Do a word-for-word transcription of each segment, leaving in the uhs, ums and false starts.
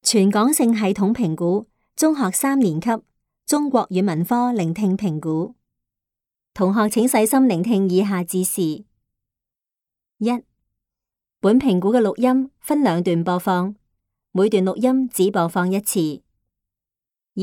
全港性系統評估，中學三年級，中國語文科聆聽評估。同學請細心聆聽以下指示：一、本評估嘅錄音分兩段播放，每段錄音只播放一次。二、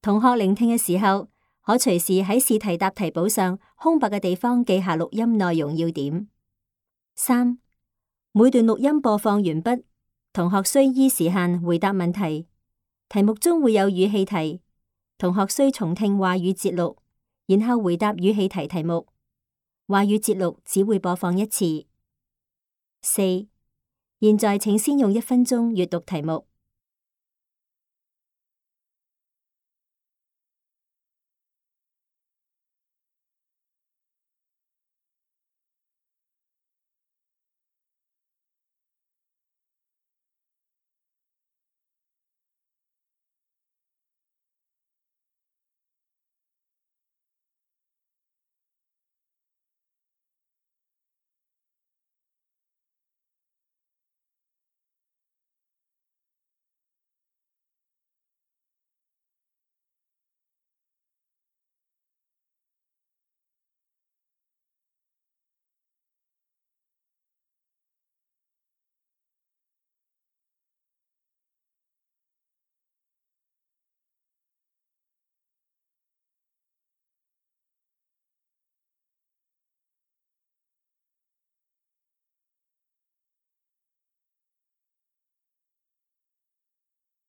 同學聆聽嘅時候，可隨時喺試題答題簿上空白嘅地方記下錄音內容要點。三、每段錄音播放完畢，同學需依時限回答問題。題目中會有語氣題，同學需重聽話語節錄，然後回答語氣題題目。話語節錄只會播放一次。四、現在請先用一分鐘閱讀題目。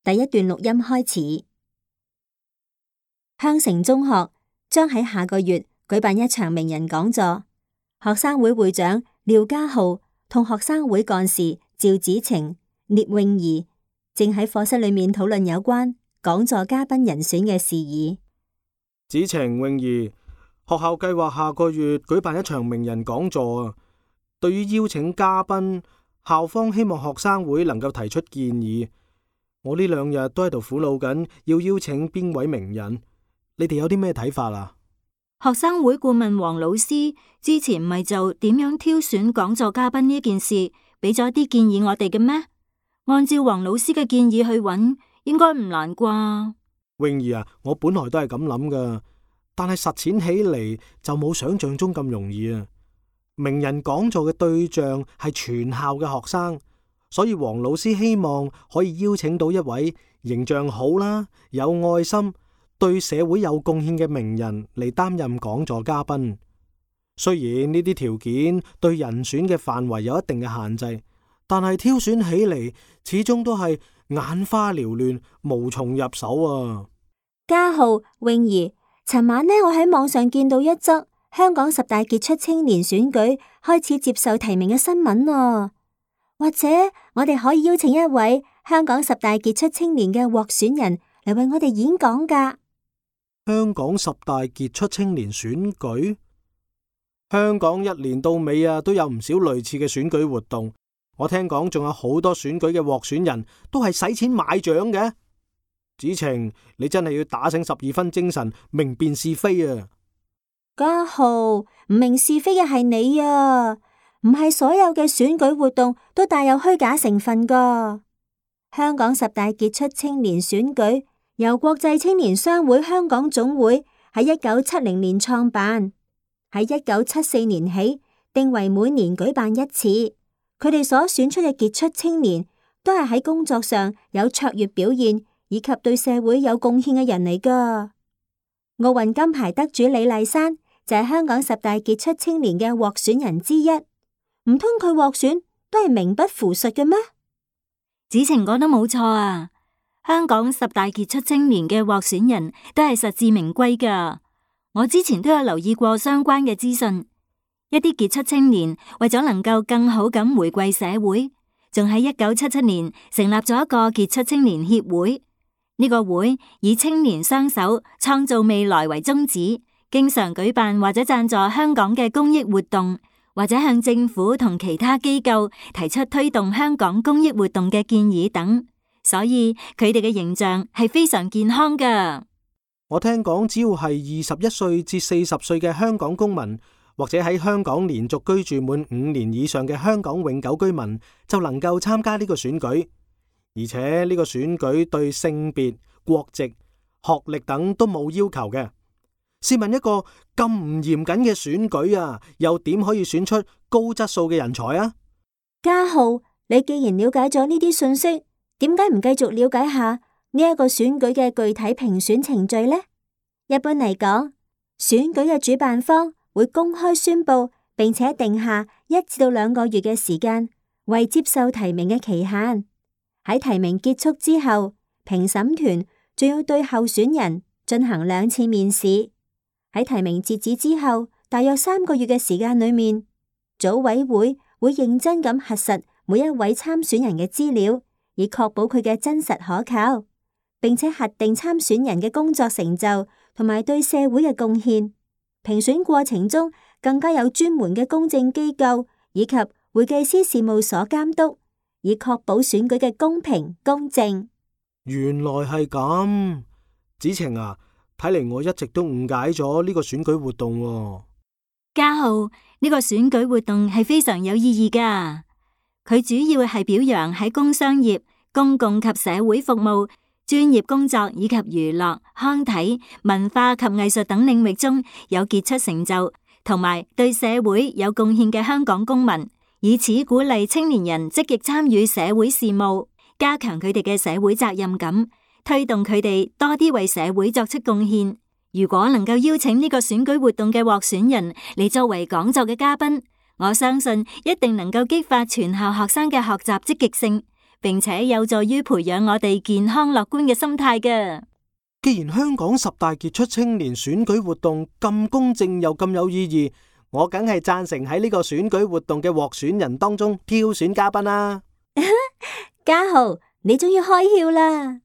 第一段錄音開始。香城中學將喺下個月舉辦一場名人講座，學生會會長廖家浩同學生會幹事趙子晴、聶詠儀正喺課室裏面討論有關講座嘉賓人選嘅事宜。子晴、詠儀，學校計劃下個月舉辦一場名人講座啊。對於邀請嘉賓，校方希望學生會能夠提出建議。我呢兩日都喺度苦惱緊，要邀請邊位名人？你哋有啲咩睇法啊？學生會顧問黃老師之前唔係就點樣挑選講座嘉賓呢件事，俾咗啲建議我哋嘅咩？按照黃老師嘅建議去揾，應該唔難啩？詠儀啊，我本來都係咁諗噶，但係實踐起嚟就冇想象中咁容易啊！名人講座嘅對象係全校嘅學生。所以黃老師希望可以邀請到一位形象好啦、有愛心、對社會有貢獻嘅名人嚟擔任講座嘉賓。雖然呢啲條件對人選嘅範圍有一定嘅限制，但係挑選起嚟始終都係眼花繚亂、無從入手啊！家浩、詠儀，尋晚呢，我喺網上見到一則香港十大傑出青年選舉開始接受提名嘅新聞啊！或者我哋可以邀請一位香港十大傑出青年嘅獲選人嚟為我哋演講噶。香港十大傑出青年選舉，香港一年到尾啊都有唔少類似嘅選舉活動。我聽講仲有好多選舉嘅獲選人都係使錢買獎嘅。子晴，你真係要打醒十二分精神，明辨是非啊！家浩，唔明是非嘅係你啊！唔係所有嘅選舉活動都帶有虛假成分噶。香港十大傑出青年選舉由國際青年商會香港總會喺一九七零年創辦，喺一九七四年起定為每年舉辦一次。佢哋所選出嘅傑出青年都係喺工作上有卓越表現以及對社會有貢獻嘅人嚟噶。奧運金牌得主李麗珊就係香港十大傑出青年嘅獲選人之一。唔通佢獲選都係名不符實嘅咩？子晴講得冇錯啊！香港十大傑出青年嘅獲選人都係實至名歸噶。我之前都有留意過相關嘅資訊。一啲傑出青年為咗能夠更好咁回饋社會，仲喺一九七七年成立咗一個傑出青年協會。呢個會以青年雙手創造未來為宗旨，經常舉辦或者贊助香港嘅公益活動，或者向政府同其他機構提出推動香港公益活動嘅建議等，所以佢哋嘅形象係非常健康噶。我聽講，只要係二十一歲至四十歲嘅香港公民，或者喺香港連續居住滿五年以上嘅香港永久居民，就能夠參加呢個選舉。而且呢個選舉對性別、國籍、學歷等都冇要求嘅。試問一個咁唔嚴謹嘅選舉啊，又點可以選出高質素嘅人才啊？家豪，你既然了解咗呢啲信息，點解唔繼續了解下呢一個選舉嘅具體評選程序呢？一般嚟講，選舉嘅主辦方會公開宣佈，並且定下一至到兩個月嘅時間為接受提名嘅期限。喺提名結束之後，評審團仲要對候選人進行兩次面試。喺提名截止之後，大約三個月嘅時間裏面，組委會會認真咁核實每一位參選人嘅資料，以確保佢嘅真實可靠，並且核定參選人嘅工作成就同埋對社會嘅貢獻。評選過程中更加有專門嘅公證機構以及會計師事務所監督，以確保選舉嘅公平公正。原來係咁，子晴啊，睇嚟我一直都誤解咗呢個選舉活動喎。家豪，呢個選舉活動係非常有意義噶，佢主要係表揚喺工商業、公共及社會服務、專業工作以及娛樂、康體、文化及藝術等領域中有傑出成就同埋對社會有貢獻嘅香港公民，以此鼓勵青年人積極參與社會事務，加強佢哋嘅社會責任感，推動佢哋多啲為社會作出貢獻。如果能夠邀請呢個選舉活動嘅獲選人嚟作為講座嘅嘉賓，我相信一定能夠激發全校學生嘅學習積極性，並且有助於培養我哋健康樂觀嘅心態嘅。既然香港十大傑出青年選舉活動咁公正又咁有意義，我梗係贊成喺呢個選舉活動嘅獲選人當中挑選嘉賓啦。家豪，你終於開竅啦！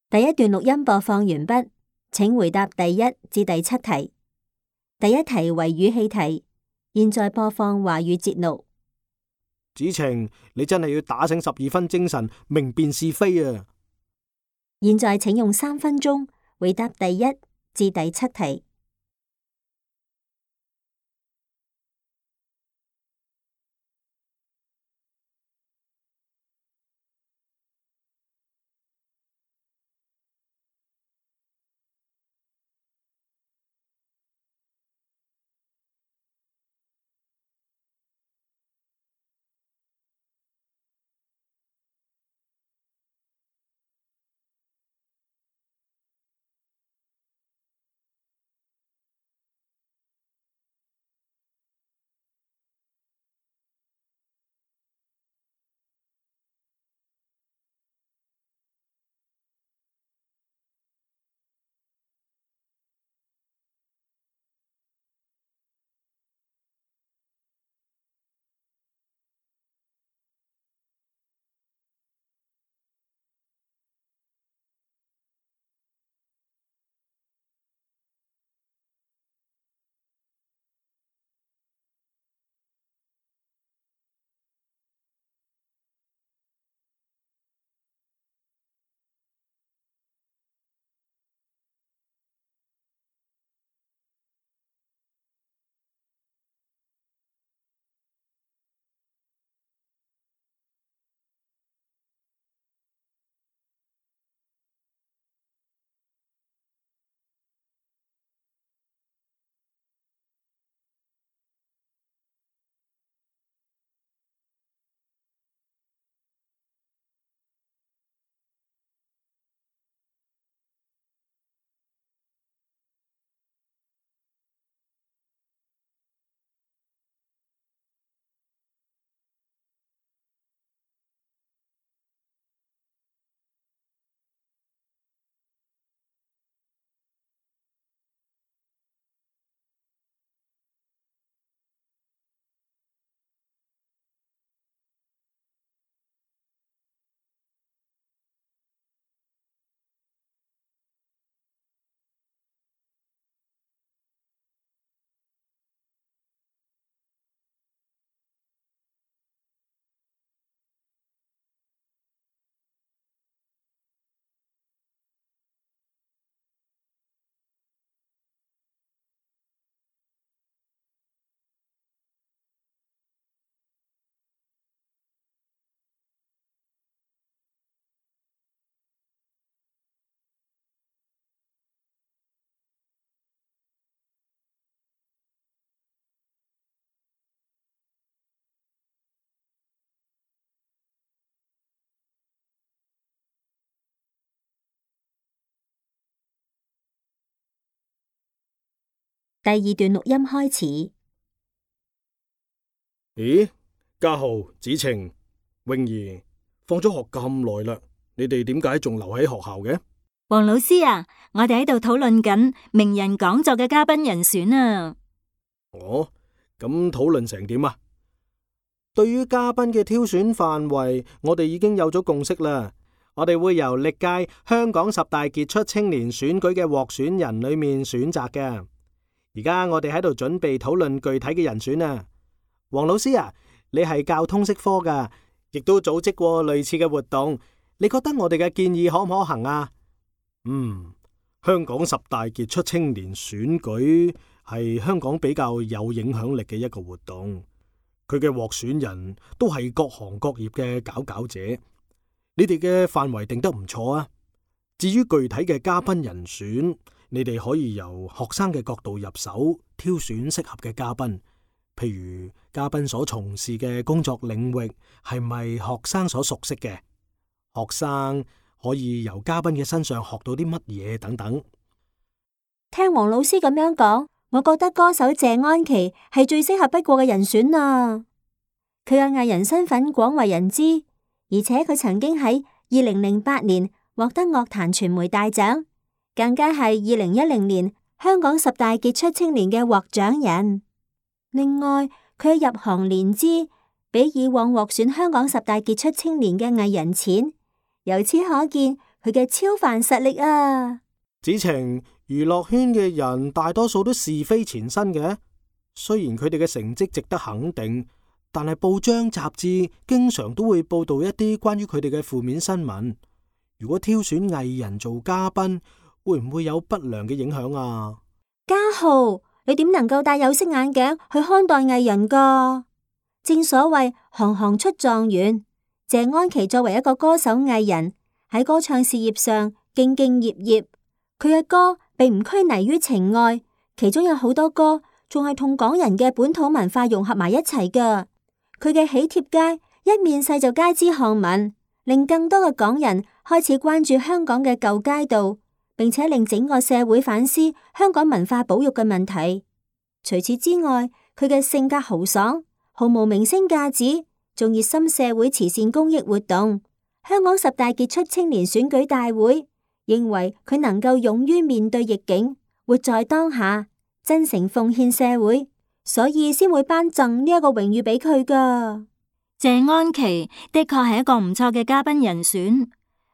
第一段錄音播放完畢，請回答第一至第七題。第一題為語氣題，現在播放華語節錄。子晴，你真係要打醒十二分精神，明辨是非啊！現在請用三分鐘回答第一至第七題。第二段錄音開始。咦，家豪、子晴、泳兒，放咗學咁耐啦，你哋點解仲留喺學校嘅？黃老師啊，我哋喺度討論緊名人講座嘅嘉賓人選啊。哦，咁討論成點啊？對於嘉賓嘅挑選範圍，我哋已經有咗共識啦。我哋會由歷屆香港十大傑出青年選舉嘅獲選人裏面選擇嘅。而家我哋喺度準備討論具體嘅人選啊。黃老師啊，你係教通識科噶，亦都組織過類似嘅活動，你覺得我哋嘅建議可唔可行啊？嗯，香港十大傑出青年選舉係香港比較有影響力嘅一個活動，佢嘅獲選人都係各行各業嘅佼佼者。你哋嘅範圍定得唔錯啊！至於具體嘅嘉賓人選，你哋可以由學生嘅角度入手，挑選適合嘅嘉賓。譬如嘉賓所從事嘅工作領域係咪學生所熟悉嘅？學生可以由嘉賓嘅身上學到啲乜嘢等等。聽黃老師咁樣講，我覺得歌手謝安琪係最適合不過嘅人選啊！佢嘅藝人身份廣為人知。而且佢曾經喺二零零八年獲得樂壇傳媒大獎，更加係二零一零年香港十大傑出青年嘅獲獎人。另外，佢嘅入行年資比以往獲選香港十大傑出青年嘅藝人淺，由此可見佢嘅超凡實力啊！子晴，娛樂圈嘅人大多數都是非纏身嘅，雖然佢哋嘅成績值得肯定。但係報章雜誌經常都會報道一啲關於佢哋嘅負面新聞。如果挑選藝人做嘉賓，會唔會有不良嘅影響啊？家豪，你點能夠戴有色眼鏡去看待藝人噶？正所謂行行出狀元，謝安琪作為一個歌手藝人，喺歌唱事業上兢兢業業，佢嘅歌並唔拘泥於情愛，其中有好多歌仲係同港人嘅本土文化融合埋一齊噶。佢嘅喜帖街一面世就街知巷聞，令更多嘅港人開始關注香港嘅舊街道，並且令整個社會反思香港文化保育嘅問題。除此之外，佢嘅性格豪爽，毫無明星架子，仲熱心社會慈善公益活動。香港十大傑出青年選舉大會認為佢能夠勇於面對逆境，活在當下，真誠奉獻社會。所以先會頒贈呢一個榮譽俾佢噶。謝安琪的確係一個唔錯嘅嘉賓人選，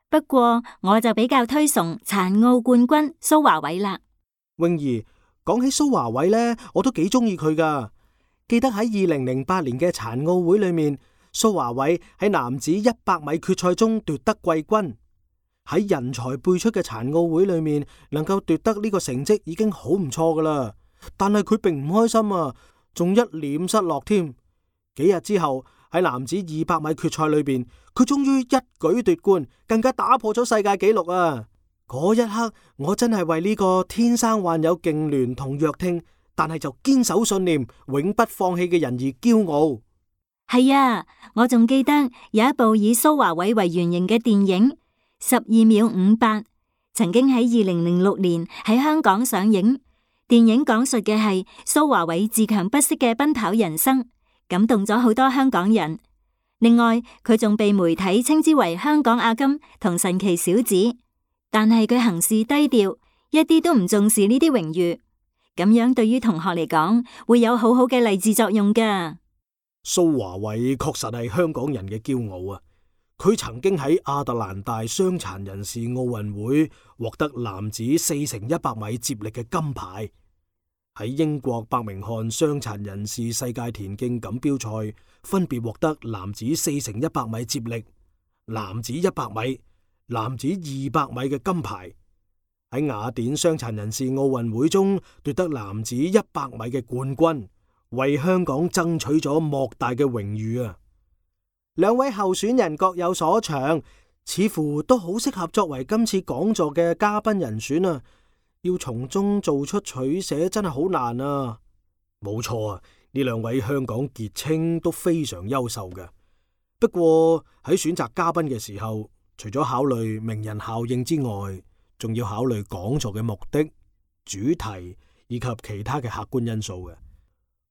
不過我就比較推崇殘奧冠軍蘇華偉啦。泳兒，講起蘇華偉呢，我都幾中意佢噶。記得喺二零零八年嘅殘奧會裏面，蘇華偉喺男子一百米決賽中奪得季軍。喺人才輩出嘅殘奧會裏面，能夠奪得呢個成績已經好唔錯噶啦。但係佢並唔開心啊，仲一臉失落添。幾日之後喺男子二百米決賽裏邊，佢終於一舉奪冠，更加打破咗世界紀錄啊！嗰一刻，我真係為呢個天生患有痙攣同弱聽，但係就堅守信念、永不放棄嘅人而驕傲。係啊，我仲記得有一部以蘇華偉為原型嘅電影《十二秒五八》，曾經喺二零零六年喺香港上映。電影講述嘅係蘇華偉自強不息嘅奔跑人生，感動咗好多香港人。另外，佢仲被媒體稱之為香港阿金同神奇小子，但係佢行事低調，一啲都唔重視呢啲榮譽。咁樣對於同學嚟講，會有好好嘅勵志作用噶。蘇華偉確實係香港人嘅驕傲啊！佢曾經喺亞特蘭大傷殘人士奧運會獲得男子四乘一百米接力嘅金牌。喺英國伯明翰傷殘人士世界田徑錦標賽，分別獲得男子四乘一百米接力、男子一百米、男子二百米嘅金牌。喺雅典傷殘人士奧運會中奪得男子一百米嘅冠軍，為香港爭取咗莫大嘅榮譽啊！兩位候選人各有所長，似乎都好適合作為今次講座嘅嘉賓人選啊！要從中做出取捨真係好難啊！冇錯啊，呢兩位香港傑青都非常優秀嘅。不過喺選擇嘉賓嘅時候，除咗考慮名人效應之外，仲要考慮講座嘅目的、主題以及其他嘅客觀因素嘅。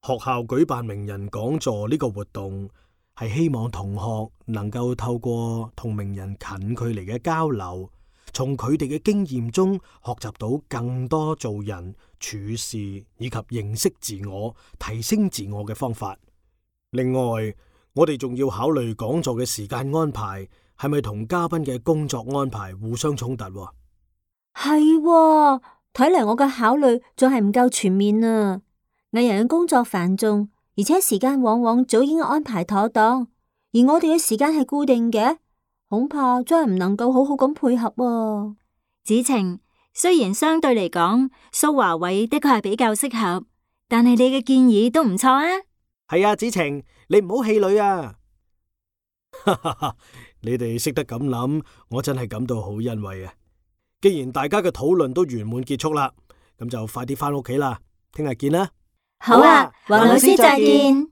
學校舉辦名人講座呢個活動，係希望同學能夠透過同名人近距離嘅交流，從佢哋嘅經驗中學習到更多做人處事以及認識自我、提升自我嘅方法。另外，我哋仲要考慮講座嘅時間安排係咪同嘉賓嘅工作安排互相衝突？係喎，睇嚟我嘅考慮仲係唔夠全面啊！藝人嘅工作繁重，而且時間往往早已經安排妥當，而我哋嘅時間係固定嘅，恐怕真係唔能夠好好咁配合啊。子晴，雖然相對嚟講，蘇華偉的確係比較適合，但係你嘅建議都唔錯啊。係啊，子晴，你唔好氣餒啊！哈哈哈，你哋識得咁諗，我真係感到好欣慰啊！既然大家嘅討論都圓滿結束啦，咁就快啲翻屋企啦，聽日見啦！好啊，黃老師再見。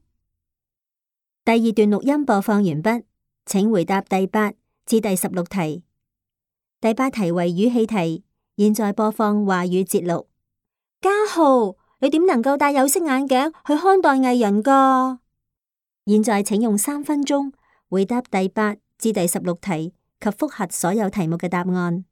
第二段錄音播放完畢，請回答第八至第十六題。第八題為語氣題，現在播放話語節錄。家豪，你點能夠戴有色眼鏡去看待藝人㗎？現在請用三分鐘回答第八至第十六題及複核所有題目嘅答案。